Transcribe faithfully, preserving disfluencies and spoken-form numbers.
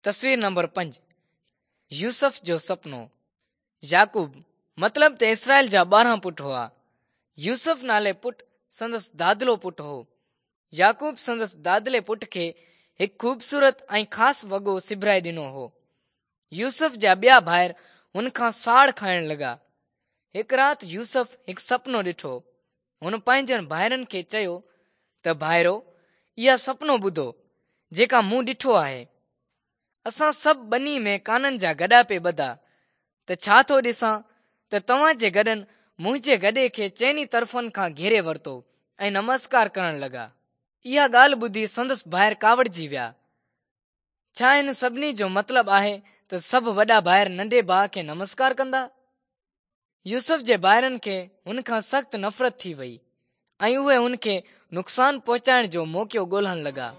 تصوير نمبر پنج، يوسف جو سپنو. يعقوب مطلب ته اسرائيل جا ٻارهن پٽ هئا. يوسف نالي پٽ سندس دادلو پٽ هو. يعقوب سندس دادلي پٽ کي هڪ خوبصورت ۽ خاص وڳو سبرائي ڏنو هو. يوسف جا ٻيا ڀائر هن کان ساڙ کائڻ لڳا. هڪ رات يوسف هڪ سپنو ڏٺو. هن پنهنجن ڀائرن کي چيو ته ڀائرو، اها سپنو ٻڌو جيڪا مون ڏٺو آهي. اسان سڀ ٻني ۾ ڪانن جا گڏا پئي ٻڌا ته ڇا ٿو ڏسان ته توهان جي گڏن منهنجي گڏي کي چئني طرفن کان گهيري ورتو ۽ نمسڪار ڪرڻ لڳا. اها ڳالهه ٻڌي سندس ڀائر ڪاوڙجي ويا. ڇا هن سڀني جو مطلب آهي ته سڀ وڏا ڀائر ننڍي ڀاء کي نمسڪار ڪندا؟ يوسف جي ڀائرن کي هن کان سخت نفرت ٿي وئي ۽ اهي هن کي نقصان پهچائڻ جو موقعو ڳولڻ لڳا.